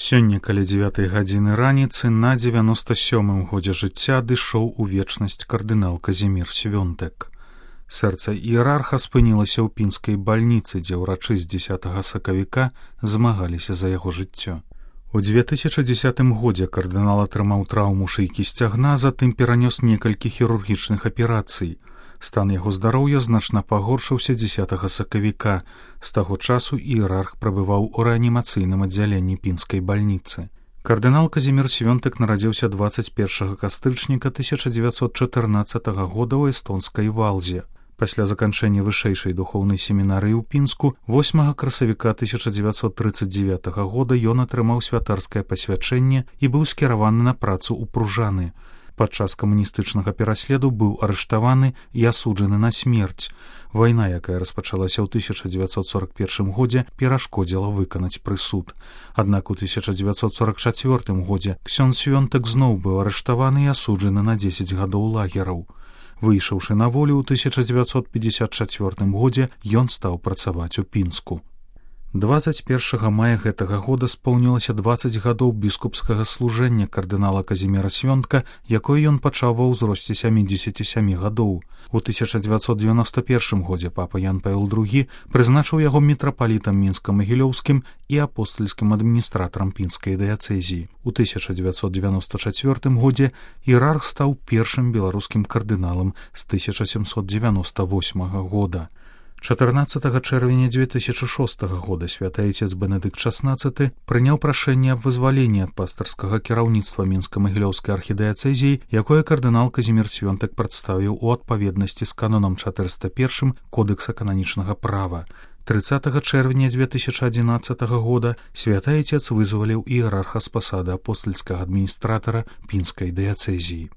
Сёння каля 9 гадзіны раніцы на 97-м годзе жыцця адышоў у вечнасць кардынал Казімір Свёнтек. Сэрца іерарха спынілася ў пінскай бальніцы, дзе ўрачы з 10 сакавіка змагаліся за яго жыццё. У 2010 годзе кардынал атрымаў траўму шыйкі сцягна, затым перанёс некалькі хірургічных аперацый. Стан яго здароўя значна пагоршыўся 10 сакавіка. З таго часу іерарх прабываў у рэанімацыйным аддзяленні пінскай бальніцы. Кардынал Казімір Свёнтек нарадзіўся 21 кастрычніка 1914 года ў эстонскай Валзе. Пасля заканчэння вышэйшай духоўнай семінарыі ў Пінску 8 красавіка 1939 года ён атрымаў святарскае пасвячэнне і быў скіраваны на працу ў Пружаны. Падчас камуністычнага пераследу быў арыштаваны і асуджаны на смерць. Вайна, якая распачалася ў 1941 годзе, перашкодзіла выканаць прысуд. Аднак у 1944 годзе ксёндз Свёнтек зноў быў арыштаваны і асуджаны на 10 гадоў лагераў. Выйшаўшы на волю ў 1954 годзе, ён стаў працаваць у Пінску. 21 мая гэтага года споўнілася 20 гадоў біскупскага служэння кардынала Казіміра Свёнтка, якое ён пачаў ва ўзросце 77 гадоў. У 1991 годзе папа Ян Павел II прызначыў яго мітрапалітам мінска-магілёўскім і апостальскім адміністратарам пінскай дыяцэзіі. У 1994 годзе іерарх стаў першым беларускім кардыналам з 1798 года. 14 чэрвеня 2006 года святы айцец Бенедыкт XVI прыняў прашэнне аб вызваленні ад пастырскага кіраўніцтва мінска-магілёўскай архідыяцэзіі, якое кардынал Казімір Свёнтек прадставіў у адпаведнасці з канонам 401 Кодекса кананічнага права. 30 чэрвеня 2011 года святы айцец вызваліў іерарха з пасады апостальскага адміністратара пінскай дыяцэзіі.